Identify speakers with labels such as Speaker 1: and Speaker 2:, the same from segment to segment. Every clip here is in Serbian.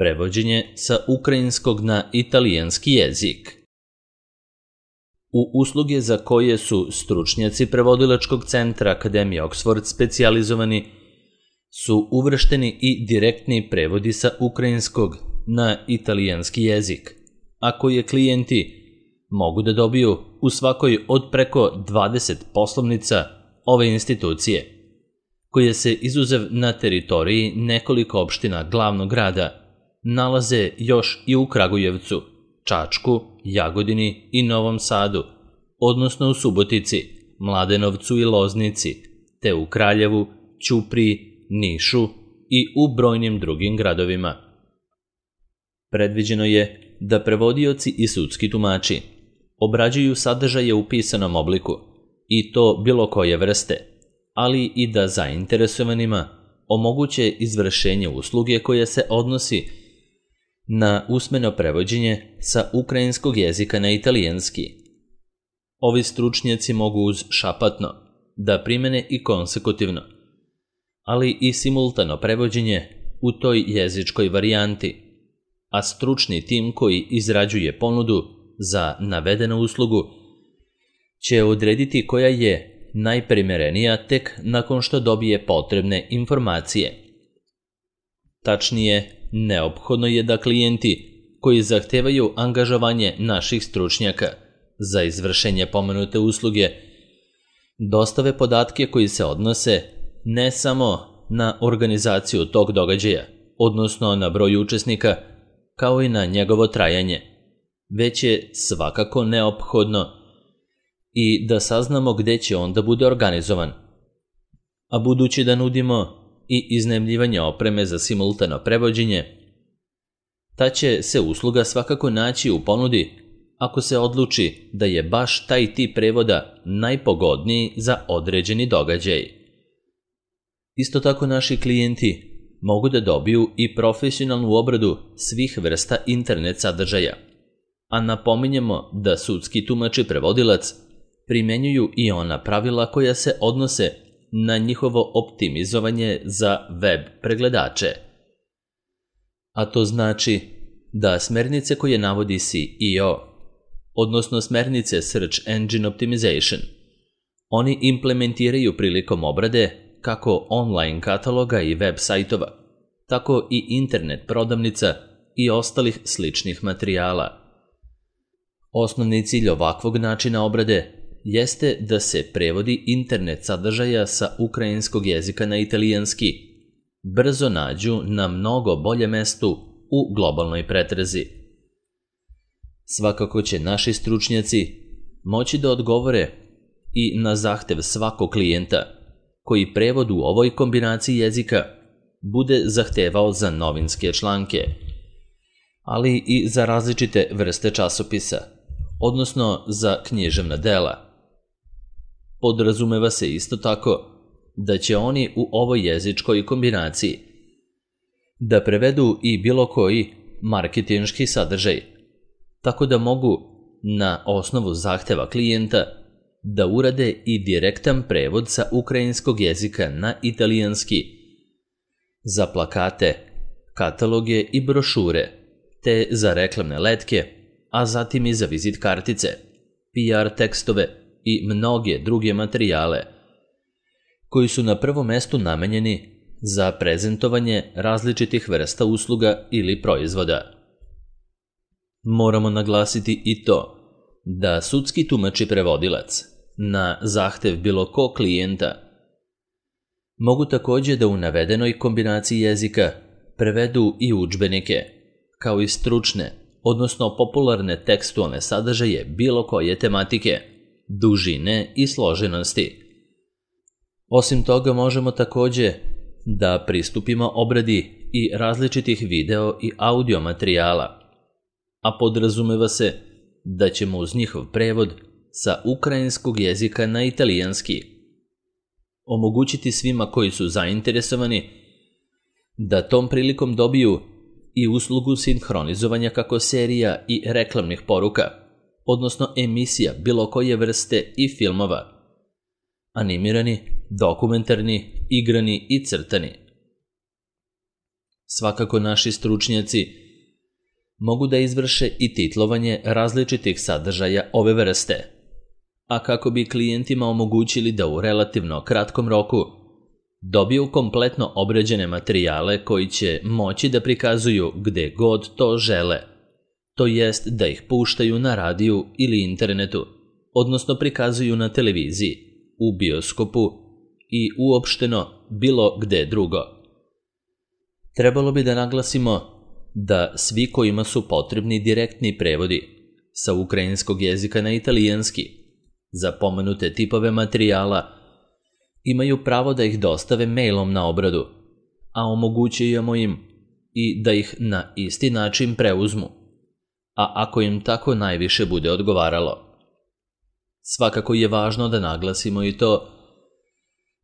Speaker 1: prevođenje sa ukrajinskog na italijanski jezik. U usluge za koje su stručnjaci prevodilačkog centra Akademije Oxford specijalizovani su uvršteni i direktni prevodi sa ukrajinskog na italijanski jezik, a koje klijenti mogu da dobiju u svakoj od preko 20 poslovnica ove institucije, koje se izuzev na teritoriji nekoliko opština glavnog grada nalaze još i u Kragujevcu, Čačku, Jagodini i Novom Sadu, odnosno u Subotici, Mladenovcu i Loznici, te u Kraljevu, Ćupriji, Nišu i u brojnim drugim gradovima. Predviđeno je da prevodioci i sudski tumači obrađuju sadržaje u pisanom obliku, i to bilo koje vrste, ali i da zainteresovanima omoguće izvršenje usluge koja se odnosi na usmeno prevođenje sa ukrajinskog jezika na italijanski. Ovi stručnjaci mogu uz šapatno da primene i konsekutivno, ali i simultano prevođenje u toj jezičkoj varijanti, a stručni tim koji izrađuje ponudu za navedenu uslugu će odrediti koja je najprimerenija tek nakon što dobije potrebne informacije. Tačnije, neophodno je da klijenti koji zahtevaju angažovanje naših stručnjaka za izvršenje pomenute usluge dostave podatke koji se odnose ne samo na organizaciju tog događaja, odnosno na broj učesnika, kao i na njegovo trajanje, već je svakako neophodno i da saznamo gde će on da bude organizovan. A budući da nudimo i iznajmljivanje opreme za simultano prevođenje, ta će se usluga svakako naći u ponudi ako se odluči da je baš taj tip prevoda najpogodniji za određeni događaj. Isto tako naši klijenti mogu da dobiju i profesionalnu obradu svih vrsta internet sadržaja, a napominjemo da sudski tumač i prevodilac primenjuju i ona pravila koja se odnose na njihovo optimizovanje za web pregledače. A to znači da smernice koje navodi SEO, odnosno smernice Search Engine Optimization, oni implementiraju prilikom obrade kako online kataloga i web sajtova, tako i internet prodavnica i ostalih sličnih materijala. Osnovni cilj ovakvog načina obrade jeste da se prevodi internet sadržaja sa ukrajinskog jezika na italijanski brzo nađu na mnogo bolje mestu u globalnoj pretrazi. Svakako će naši stručnjaci moći da odgovore i na zahtev svakog klijenta koji prevod u ovoj kombinaciji jezika bude zahtevao za novinske članke, ali i za različite vrste časopisa, odnosno za književna dela. Podrazumeva se isto tako da će oni u ovoj jezičkoj kombinaciji da prevedu i bilo koji marketinški sadržaj, tako da mogu na osnovu zahteva klijenta da urade i direktan prevod sa ukrajinskog jezika na italijanski za plakate, kataloge i brošure, te za reklamne letke, a zatim i za vizit kartice, PR tekstove i mnoge druge materijale koji su na prvom mestu namenjeni za prezentovanje različitih vrsta usluga ili proizvoda. Moramo naglasiti i to da sudski tumač i prevodilac na zahtev bilo ko klijenta mogu takođe da u navedenoj kombinaciji jezika prevedu i udžbenike, kao i stručne, odnosno popularne tekstualne sadržaje bilo koje tematike, dužine i složenosti. Osim toga možemo takođe da pristupimo obradi i različitih video i audio materijala, a podrazumeva se da ćemo uz njihov prevod sa ukrajinskog jezika na italijanski omogućiti svima koji su zainteresovani da tom prilikom dobiju i uslugu sinhronizovanja kako serija i reklamnih poruka, odnosno emisija bilo koje vrste i filmova, animirani, dokumentarni, igrani i crtani. Svakako naši stručnjaci mogu da izvrše i titlovanje različitih sadržaja ove vrste, a kako bi klijentima omogućili da u relativno kratkom roku dobiju kompletno obrađene materijale koji će moći da prikazuju gde god to žele, to jest da ih puštaju na radiju ili internetu, odnosno prikazuju na televiziji, u bioskopu i uopšteno bilo gde drugo. Trebalo bi da naglasimo da svi kojima su potrebni direktni prevodi sa ukrajinskog jezika na italijanski za pomenute tipove materijala imaju pravo da ih dostave mailom na obradu, a omogućujemo im i da ih na isti način preuzmu, a ako im tako najviše bude odgovaralo. Svakako je važno da naglasimo i to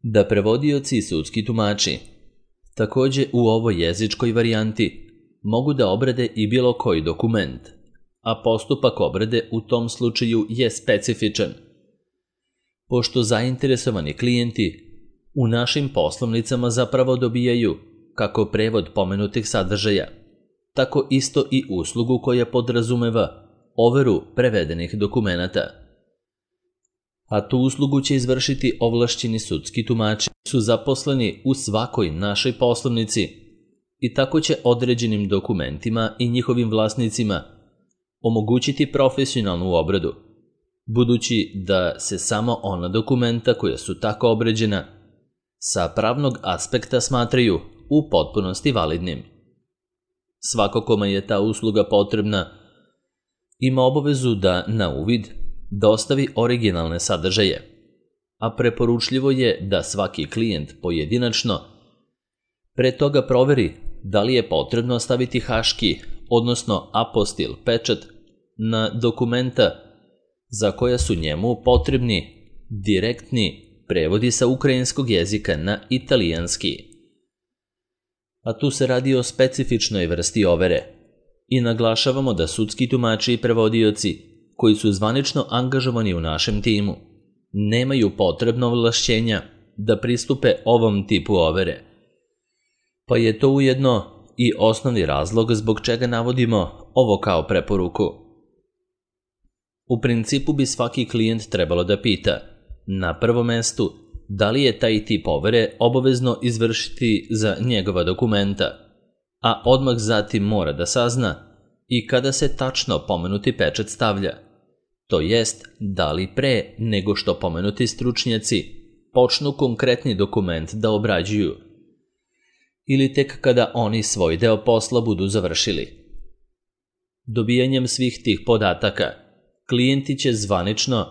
Speaker 1: da prevodioci i sudski tumači takođe u ovoj jezičkoj varijanti mogu da obrade i bilo koji dokument, a postupak obrade u tom slučaju je specifičan, pošto zainteresovani klijenti u našim poslovnicama zapravo dobijaju kako prevod pomenutih sadržaja, tako isto i uslugu koja podrazumeva overu prevedenih dokumenata. A tu uslugu će izvršiti ovlašćeni sudski tumači, su zaposleni u svakoj našoj poslovnici i tako će određenim dokumentima i njihovim vlasnicima omogućiti profesionalnu obradu, budući da se samo ona dokumenta koja su tako obrađena sa pravnog aspekta smatraju u potpunosti validnim. Svako kome je ta usluga potrebna ima obavezu da na uvid dostavi originalne sadržaje, a preporučljivo je da svaki klijent pojedinačno pre toga proveri da li je potrebno staviti haški, odnosno apostil pečat na dokumenta za koja su njemu potrebni direktni prevodi sa ukrajinskog jezika na italijanski. A tu se radi o specifičnoj vrsti overe i naglašavamo da sudski tumači i prevodioci koji su zvanično angažovani u našem timu nemaju potrebno ovlašćenja da pristupe ovom tipu overe, pa je to ujedno i osnovni razlog zbog čega navodimo ovo kao preporuku. U principu bi svaki klijent trebalo da pita, na prvom mestu, da li je taj tip overe obavezno izvršiti za njegova dokumenta, a odmah zatim mora da sazna i kada se tačno pomenuti pečat stavlja, to jest da li pre nego što pomenuti stručnjaci počnu konkretni dokument da obrađuju ili tek kada oni svoj deo posla budu završili. Dobijanjem svih tih podataka, klijenti će zvanično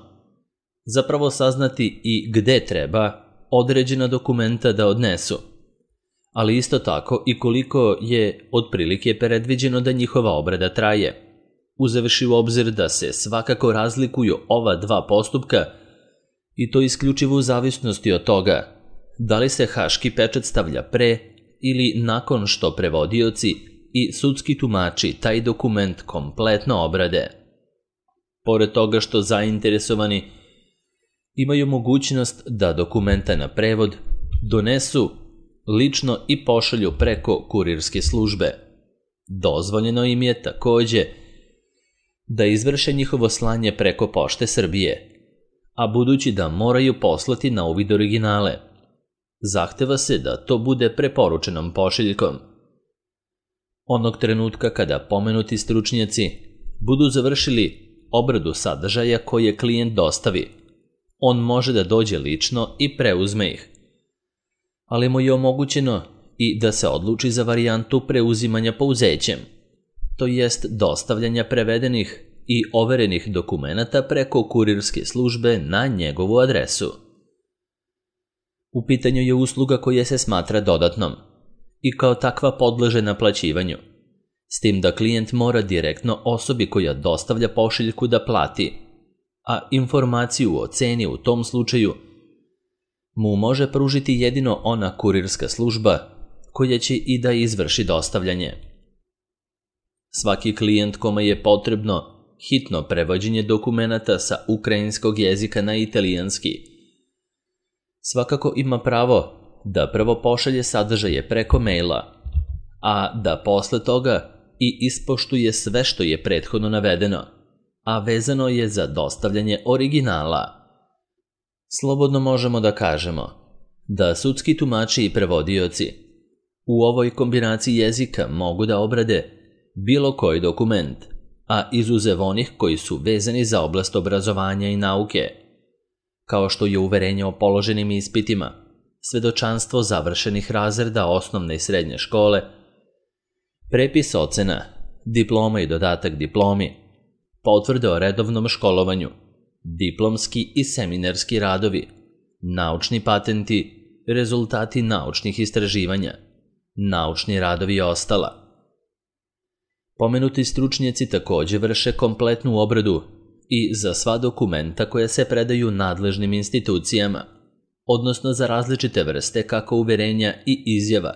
Speaker 1: zapravo saznati i gde treba određena dokumenta da odnesu, ali isto tako i koliko je otprilike predviđeno da njihova obrada traje, uzevši u obzir da se svakako razlikuju ova dva postupka i to isključivo u zavisnosti od toga da li se haški pečat stavlja pre ili nakon što prevodioci i sudski tumači taj dokument kompletno obrade. Pored toga što zainteresovani imaju mogućnost da dokumenta na prevod donesu lično i pošalju preko kurirske službe. Dozvoljeno im je takođe da izvrše njihovo slanje preko Pošte Srbije, a budući da moraju poslati na uvid originale, zahteva se da to bude preporučenom pošiljkom. Onog trenutka kada pomenuti stručnjaci budu završili obradu sadržaja koje klijent dostavi, on može da dođe lično i preuzme ih, ali mu je omogućeno i da se odluči za varijantu preuzimanja pouzećem, to jest dostavljanja prevedenih i overenih dokumenata preko kurirske službe na njegovu adresu. U pitanju je usluga koja se smatra dodatnom i kao takva podleže naplaćivanju, s tim da klijent mora direktno osobi koja dostavlja pošiljku da plati, a informaciju o ceni u tom slučaju mu može pružiti jedino ona kurirska služba koja će i da izvrši dostavljanje. Svaki klijent kome je potrebno hitno prevođenje dokumenata sa ukrajinskog jezika na italijanski svakako ima pravo da prvo pošalje sadržaje preko maila, a da posle toga i ispoštuje sve što je prethodno navedeno, a vezano je za dostavljanje originala. Slobodno možemo da kažemo da sudski tumači i prevodioci u ovoj kombinaciji jezika mogu da obrade bilo koji dokument, a izuzev onih koji su vezani za oblast obrazovanja i nauke, kao što je uverenje o položenim ispitima, svedočanstvo završenih razreda osnovne i srednje škole, prepis ocena, diploma i dodatak diplomi, potvrde o redovnom školovanju, diplomski i seminarski radovi, naučni patenti, rezultati naučnih istraživanja, naučni radovi i ostala. Pomenuti stručnjaci također vrše kompletnu obradu i za sva dokumenta koja se predaju nadležnim institucijama, odnosno za različite vrste kako uverenja i izjava,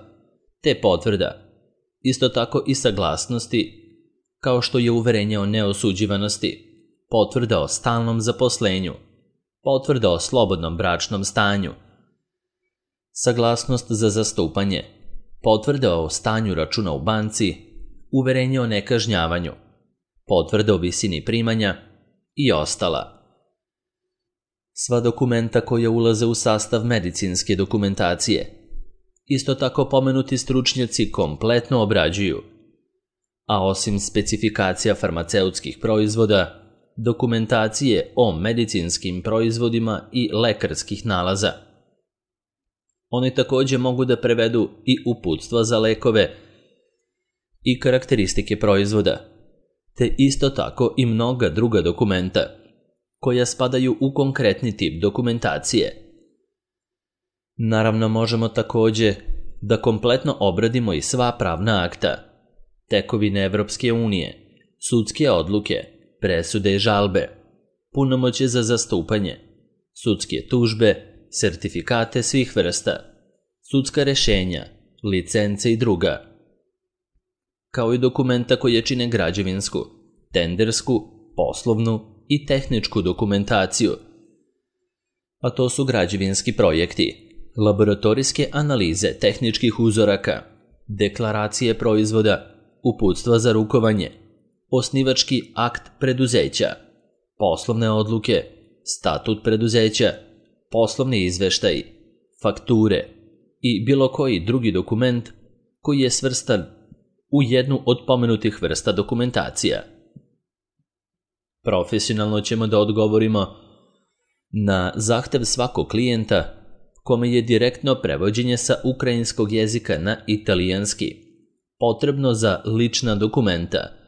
Speaker 1: te potvrda, isto tako i saglasnosti, kao što je uverenje o neosuđivanosti, potvrda o stalnom zaposlenju, potvrda o slobodnom bračnom stanju, saglasnost za zastupanje, potvrda o stanju računa u banci, uverenje o nekažnjavanju, potvrda o visini primanja i ostala. Sva dokumenta koja ulaze u sastav medicinske dokumentacije, isto tako pomenuti stručnjaci kompletno obrađuju, a osim specifikacija farmaceutskih proizvoda, dokumentacije o medicinskim proizvodima i lekarskih nalaza. Oni također mogu da prevedu i uputstva za lekove i karakteristike proizvoda, te isto tako i mnoga druga dokumenta koja spadaju u konkretni tip dokumentacije. Naravno, možemo također da kompletno obradimo i sva pravna akta, tekovine Evropske unije, sudske odluke, presude i žalbe, punomoćje za zastupanje, sudske tužbe, sertifikate svih vrsta, sudska rešenja, licence i druga, kao i dokumenta koje čine građevinsku, tendersku, poslovnu i tehničku dokumentaciju, a to su građevinski projekti, laboratorijske analize tehničkih uzoraka, deklaracije proizvoda, uputstva za rukovanje, osnivački akt preduzeća, poslovne odluke, statut preduzeća, poslovni izveštaji, fakture i bilo koji drugi dokument koji je svrstan u jednu od pomenutih vrsta dokumentacija. Profesionalno ćemo da odgovorimo na zahtev svakog klijenta kome je direktno prevođenje sa ukrajinskog jezika na italijanski potrebno za lična dokumenta.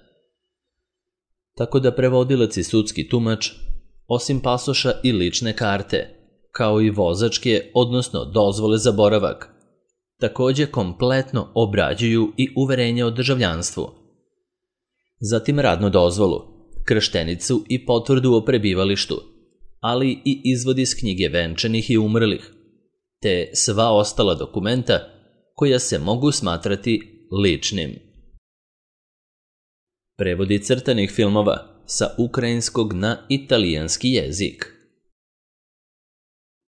Speaker 1: Tako da prevodilac i sudski tumač, osim pasoša i lične karte, kao i vozačke, odnosno dozvole za boravak, također kompletno obrađuju i uverenje o državljanstvu. Zatim radnu dozvolu, krštenicu i potvrdu o prebivalištu, ali i izvod iz knjige venčanih i umrlih, te sva ostala dokumenta koja se mogu smatrati ličnim. Prevodi crtanih filmova sa ukrajinskog na italijanski jezik.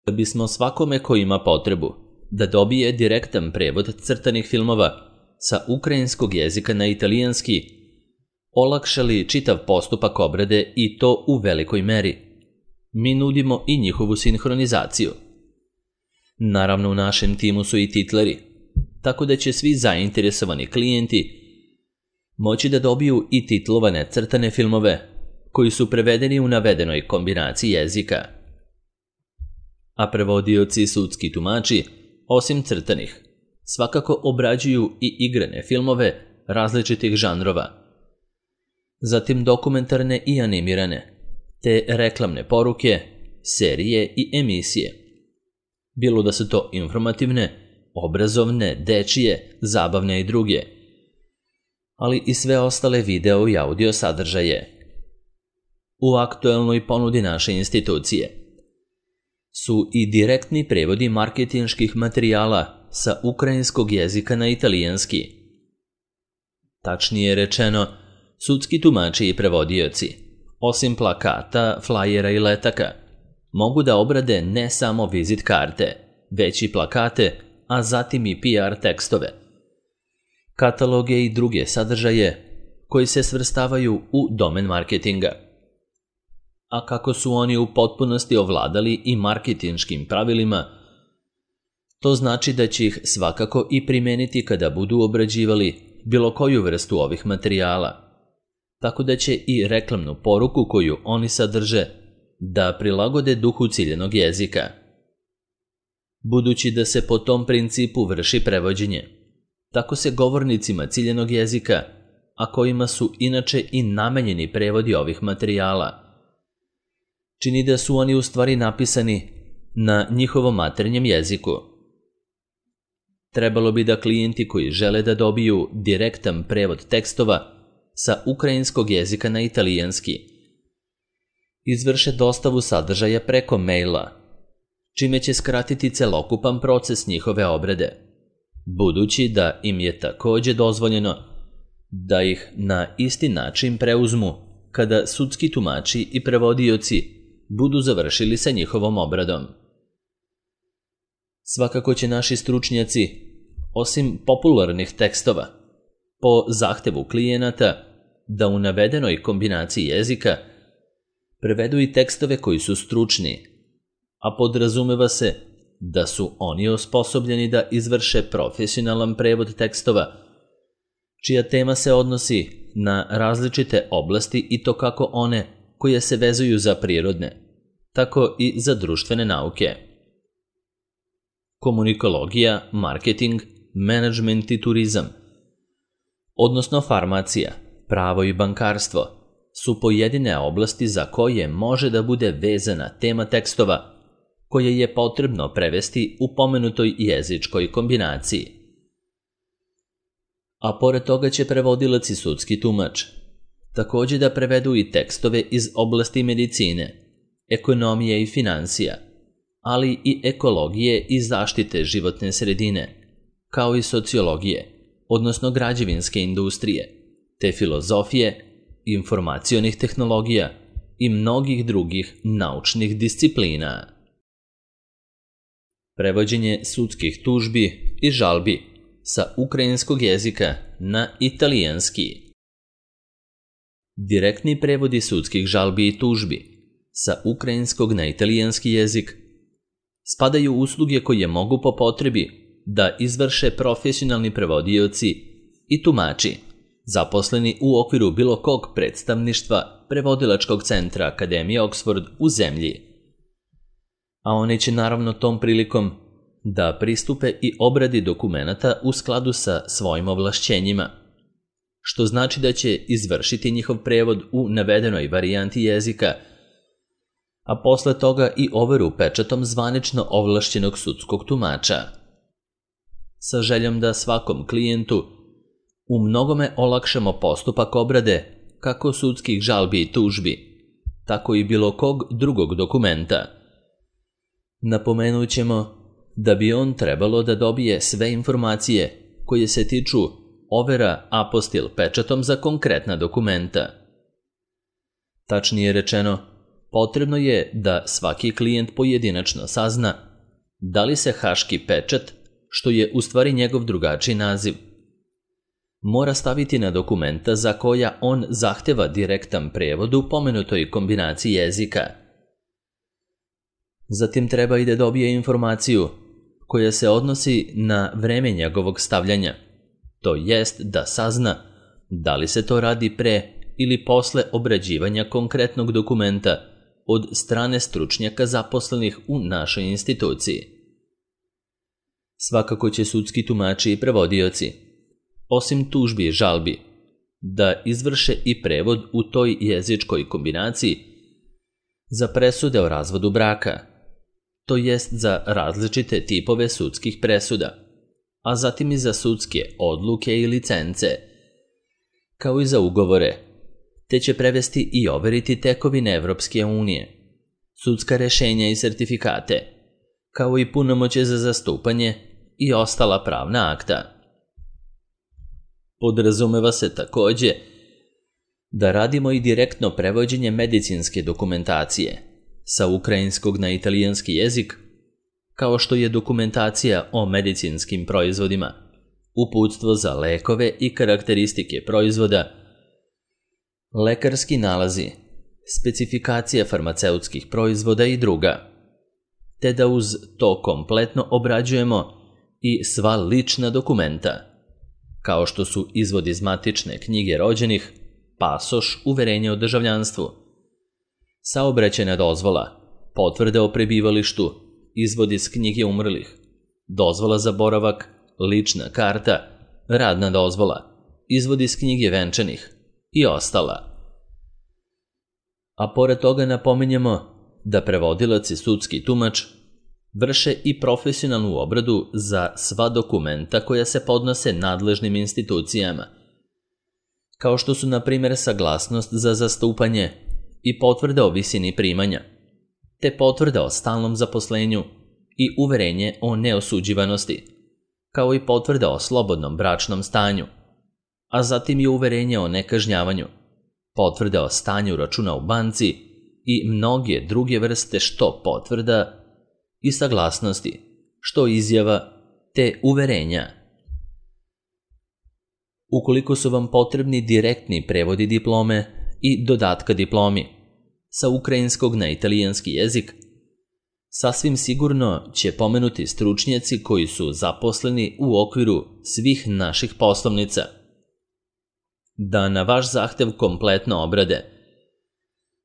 Speaker 1: Da bismo svakome ko ima potrebu da dobije direktan prevod crtanih filmova sa ukrajinskog jezika na italijanski, olakšali čitav postupak obrade i to u velikoj meri, mi nudimo i njihovu sinhronizaciju. Naravno, u našem timu su i titleri, tako da će svi zainteresovani klijenti moći da dobiju i titlovane crtane filmove koji su prevedeni u navedenoj kombinaciji jezika. A prevodioci i sudski tumači, osim crtanih, svakako obrađuju i igrane filmove različitih žanrova, zatim dokumentarne i animirane, te reklamne poruke, serije i emisije. Bilo da su to informativne, obrazovne, dečije, zabavne i druge, ali i sve ostale video i audio sadržaje. U aktuelnoj ponudi naše institucije su i direktni prevodi marketinških materijala sa ukrajinskog jezika na italijanski. Tačnije rečeno, sudski tumači i prevodioci, osim plakata, flajera i letaka, mogu da obrade ne samo vizit karte, već i plakate, a zatim i PR tekstove. kataloge i druge sadržaje koji se svrstavaju u domen marketinga. A kako su oni u potpunosti ovladali i marketinškim pravilima, to znači da će ih svakako i primeniti kada budu obrađivali bilo koju vrstu ovih materijala, tako da će i reklamnu poruku koju oni sadrže da prilagode duhu ciljanog jezika. Budući da se po tom principu vrši prevođenje, tako se govornicima ciljanog jezika, a kojima su inače i namenjeni prevodi ovih materijala, čini da su oni u stvari napisani na njihovom maternjem jeziku. Trebalo bi da klijenti koji žele da dobiju direktan prevod tekstova sa ukrajinskog jezika na italijanski izvrše dostavu sadržaja preko maila, čime će skratiti celokupan proces njihove obrade, budući da im je takođe dozvoljeno da ih na isti način preuzmu kada sudski tumači i prevodioci budu završili sa njihovom obradom. Svakako će naši stručnjaci, osim popularnih tekstova, po zahtevu klijenata da u navedenoj kombinaciji jezika prevedu i tekstove koji su stručni, a podrazumeva se da su oni osposobljeni da izvrše profesionalan prevod tekstova, čija tema se odnosi na različite oblasti i to kako one koje se vezuju za prirodne, tako i za društvene nauke. Komunikologija, marketing, menadžment i turizam, odnosno farmacija, pravo i bankarstvo, su pojedine oblasti za koje može da bude vezana tema tekstova koje je potrebno prevesti u pomenutoj jezičkoj kombinaciji. A pored toga će prevodilac i sudski tumač takođe da prevedu i tekstove iz oblasti medicine, ekonomije i finansija, ali i ekologije i zaštite životne sredine, kao i sociologije, odnosno građevinske industrije, te filozofije, informacionih tehnologija i mnogih drugih naučnih disciplina. Prevođenje sudskih tužbi i žalbi sa ukrajinskog jezika na italijanski. Direktni prevodi sudskih žalbi i tužbi sa ukrajinskog na italijanski jezik spadaju u usluge koje mogu po potrebi da izvrše profesionalni prevodioci i tumači zaposleni u okviru bilo kog predstavništva prevodilačkog centra Akademije Oxford u zemlji. A oni će naravno tom prilikom da pristupe i obradi dokumenata u skladu sa svojim ovlašćenjima, što znači da će izvršiti njihov prevod u navedenoj varijanti jezika, a posle toga i overu pečatom zvanično ovlašćenog sudskog tumača. Sa željom da svakom klijentu u mnogome olakšamo postupak obrade kako sudskih žalbi i tužbi, tako i bilo kog drugog dokumenta. Napomenut ćemo da bi on trebalo da dobije sve informacije koje se tiču overa apostil pečatom za konkretna dokumenta. Tačnije rečeno, potrebno je da svaki klijent pojedinačno sazna da li se haški pečat, što je u stvari njegov drugačiji naziv, mora staviti na dokumenta za koja on zahteva direktan prevod u pomenutoj kombinaciji jezika. Zatim treba i da dobije informaciju koja se odnosi na vreme njegovog stavljanja, to jest da sazna da li se to radi pre ili posle obrađivanja konkretnog dokumenta od strane stručnjaka zaposlenih u našoj instituciji. Svakako će sudski tumači i prevodioci, osim tužbi i žalbi, da izvrše i prevod u toj jezičkoj kombinaciji za presude o razvodu braka, to jest za različite tipove sudskih presuda, a zatim i za sudske odluke i licence, kao i za ugovore, te će prevesti i overiti tekovine Evropske unije, sudska rešenja i sertifikate, kao i punomoćje za zastupanje i ostala pravna akta. Podrazumeva se takođe da radimo i direktno prevođenje medicinske dokumentacije sa ukrajinskog na italijanski jezik, kao što je dokumentacija o medicinskim proizvodima, uputstvo za lekove i karakteristike proizvoda, lekarski nalazi, specifikacija farmaceutskih proizvoda i druga, te da uz to kompletno obrađujemo i sva lična dokumenta, kao što su izvod iz matične knjige rođenih, pasoš, uverenje o državljanstvu, saobraćajna dozvola, potvrde o prebivalištu, izvod iz knjige umrlih, dozvola za boravak, lična karta, radna dozvola, izvod iz knjige venčanih i ostala. A pored toga napominjemo da prevodilac i sudski tumač vrše i profesionalnu obradu za sva dokumenta koja se podnose nadležnim institucijama, kao što su na primjer saglasnost za zastupanje i potvrda o visini primanja, te potvrda o stalnom zaposlenju i uverenje o neosuđivanosti, kao i potvrda o slobodnom bračnom stanju, a zatim i uverenje o nekažnjavanju, potvrda o stanju računa u banci i mnoge druge vrste što potvrda i saglasnosti, što izjava te uverenja. Ukoliko su vam potrebni direktni prevodi diplome i dodatka diplomi sa ukrajinskog na italijanski jezik, sasvim sigurno će pomenuti stručnjaci koji su zaposleni u okviru svih naših poslovnica, da na vaš zahtev kompletno obrade,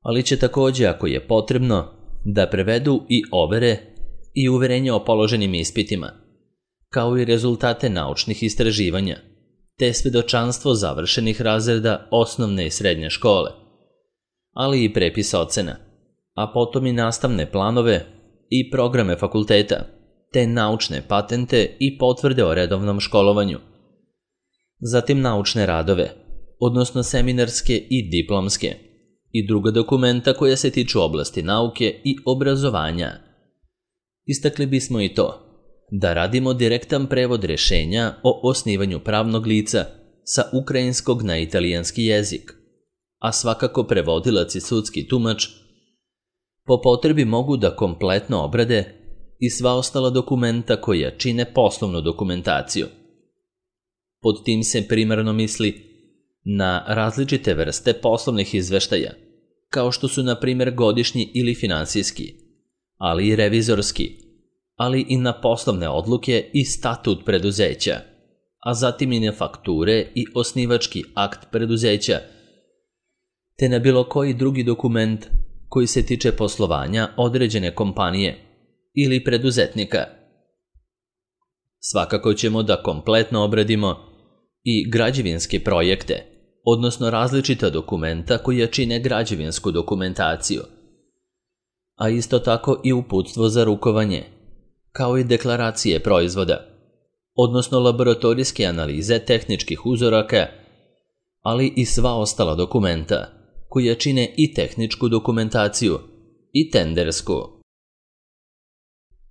Speaker 1: ali će također, ako je potrebno, da prevedu i overe i uverenja o položenim ispitima, kao i rezultate naučnih istraživanja, te svedočanstvo završenih razreda osnovne i srednje škole, ali i prepis ocena, a potom i nastavne planove i programe fakulteta, te naučne patente i potvrde o redovnom školovanju. Zatim naučne radove, odnosno seminarske i diplomske, i druga dokumenta koja se tiču oblasti nauke i obrazovanja. Istakli bismo i to da radimo direktan prevod rješenja o osnivanju pravnog lica sa ukrajinskog na italijanski jezik, a svakako prevodilac i sudski tumač po potrebi mogu da kompletno obrade i sva ostala dokumenta koja čine poslovnu dokumentaciju. Pod tim se primarno misli na različite vrste poslovnih izveštaja, kao što su na primjer godišnji ili finansijski, ali i revizorski, ali i na poslovne odluke i statut preduzeća, a zatim i na fakture i osnivački akt preduzeća, te na bilo koji drugi dokument koji se tiče poslovanja određene kompanije ili preduzetnika. Svakako ćemo da kompletno obradimo i građevinske projekte, odnosno različita dokumenta koja čine građevinsku dokumentaciju, a isto tako i uputstvo za rukovanje, kao i deklaracije proizvoda, odnosno laboratorijske analize tehničkih uzoraka, ali i sva ostala dokumenta koja čine i tehničku dokumentaciju i tendersku.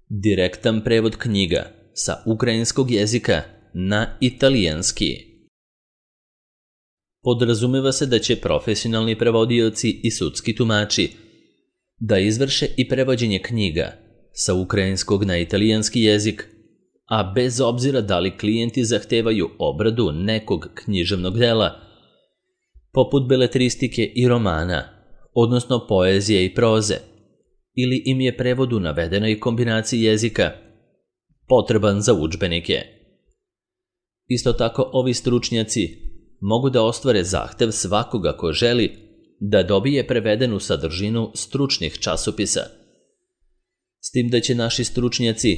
Speaker 1: Direktan prevod knjiga sa ukrajinskog jezika na italijanski. Podrazumeva se da će profesionalni prevodioci i sudski tumači da izvrše i prevođenje knjiga sa ukrajinskog na italijanski jezik, a bez obzira da li klijenti zahtevaju obradu nekog književnog dela, poput beletristike i romana, odnosno poezije i proze, ili im je prevod u navedenoj kombinaciji jezika potreban za udžbenike. Isto tako ovi stručnjaci mogu da ostvare zahtev svakoga ko želi da dobije prevedenu sadržinu stručnih časopisa, s tim da će naši stručnjaci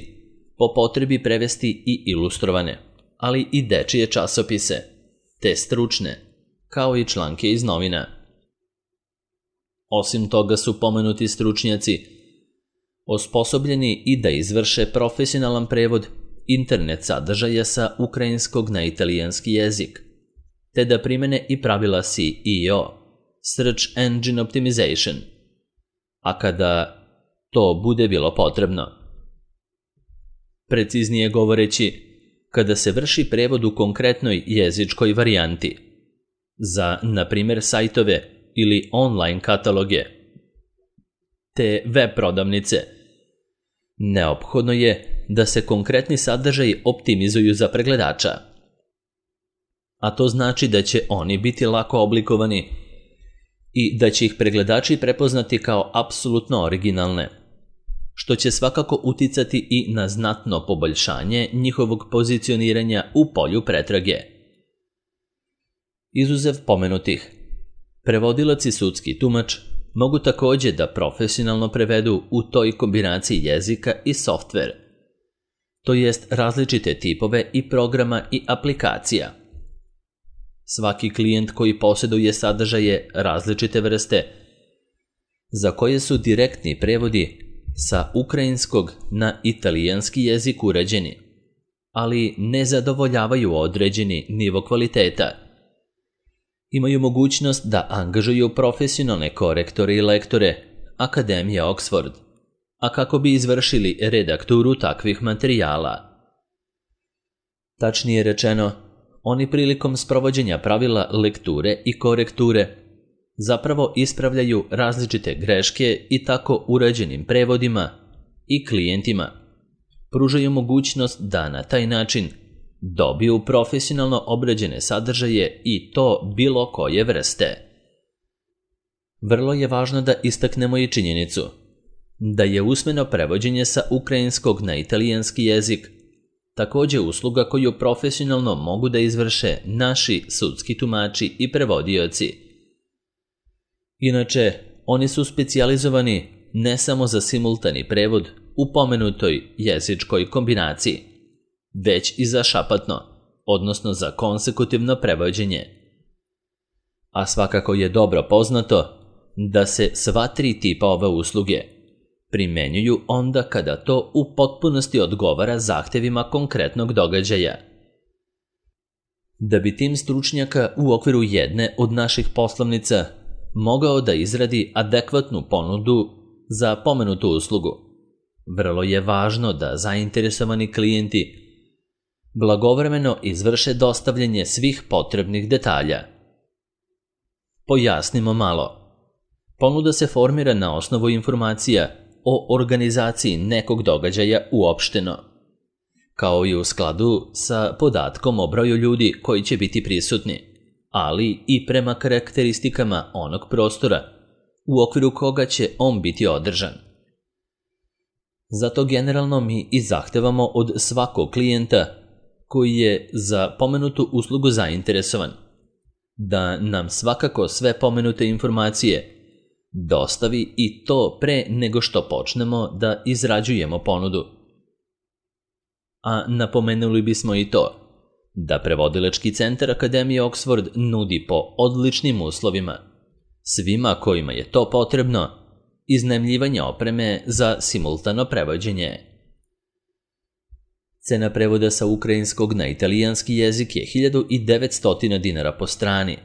Speaker 1: po potrebi prevesti i ilustrovane, ali i dečije časopise, te stručne, kao i članke iz novina. Osim toga su pomenuti stručnjaci osposobljeni i da izvrše profesionalan prevod internet sadržaja sa ukrajinskog na italijanski jezik, te da primene i pravila SEO, Search Engine Optimization, a kada to bude bilo potrebno. Preciznije govoreći, kada se vrši prevod u konkretnoj jezičkoj varijanti, za, na primjer, sajtove ili online kataloge, te web prodavnice, neophodno je da se konkretni sadržaji optimizuju za pregledača, a to znači da će oni biti lako oblikovani i da će ih pregledači prepoznati kao apsolutno originalne, što će svakako uticati i na znatno poboljšanje njihovog pozicioniranja u polju pretrage. Izuzev pomenutih, prevodilac i sudski tumač mogu također da profesionalno prevedu u toj kombinaciji jezika i softver, to jest različite tipove i programa i aplikacija. Svaki klijent koji posjeduje sadržaje različite vrste, za koje su direktni prevodi sa ukrajinskog na italijanski jezik urađeni, ali ne zadovoljavaju određeni nivo kvaliteta, imaju mogućnost da angažuju profesionalne korektore i lektore Akademije Oxford, a kako bi izvršili redakturu takvih materijala. Tačnije rečeno, oni prilikom sprovođenja pravila lekture i korekture zapravo ispravljaju različite greške i tako urađenim prevodima i klijentima pružaju mogućnost da na taj način dobiju profesionalno obrađene sadržaje i to bilo koje vrste. Vrlo je važno da istaknemo i činjenicu da je usmeno prevođenje sa ukrajinskog na italijanski jezik također usluga koju profesionalno mogu da izvrše naši sudski tumači i prevodioci. Inače, oni su specijalizovani ne samo za simultani prevod u pomenutoj jezičkoj kombinaciji, već i za šapatno, odnosno za konsekutivno prevođenje. A svakako je dobro poznato da se sva tri tipa ove usluge primenjuju onda kada to u potpunosti odgovara zahtevima konkretnog događaja. Da bi tim stručnjaka u okviru jedne od naših poslovnica mogao da izradi adekvatnu ponudu za pomenutu uslugu, vrlo je važno da zainteresovani klijenti blagovremeno izvrše dostavljanje svih potrebnih detalja. Pojasnimo malo. Ponuda se formira na osnovu informacija o organizaciji nekog događaja uopšteno, kao i u skladu sa podatkom o broju ljudi koji će biti prisutni, ali i prema karakteristikama onog prostora u okviru koga će on biti održan. Zato generalno mi i zahtevamo od svakog klijenta koji je za pomenutu uslugu zainteresovan da nam svakako sve pomenute informacije dostavi i to pre nego što počnemo da izrađujemo ponudu. A napomenuli bismo i to da prevodilački centar Akademije Oxford nudi po odličnim uslovima svima kojima je to potrebno iznajmljivanje opreme za simultano prevođenje. Cena prevoda sa ukrajinskog na italijanski jezik je 1900 dinara po strani.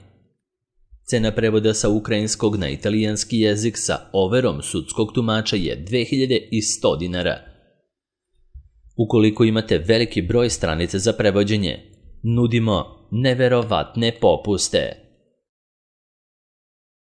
Speaker 1: Cena prevoda sa ukrajinskog na italijanski jezik sa overom sudskog tumača je 2100 dinara. Ukoliko imate veliki broj stranica za prevođenje, nudimo neverovatne popuste.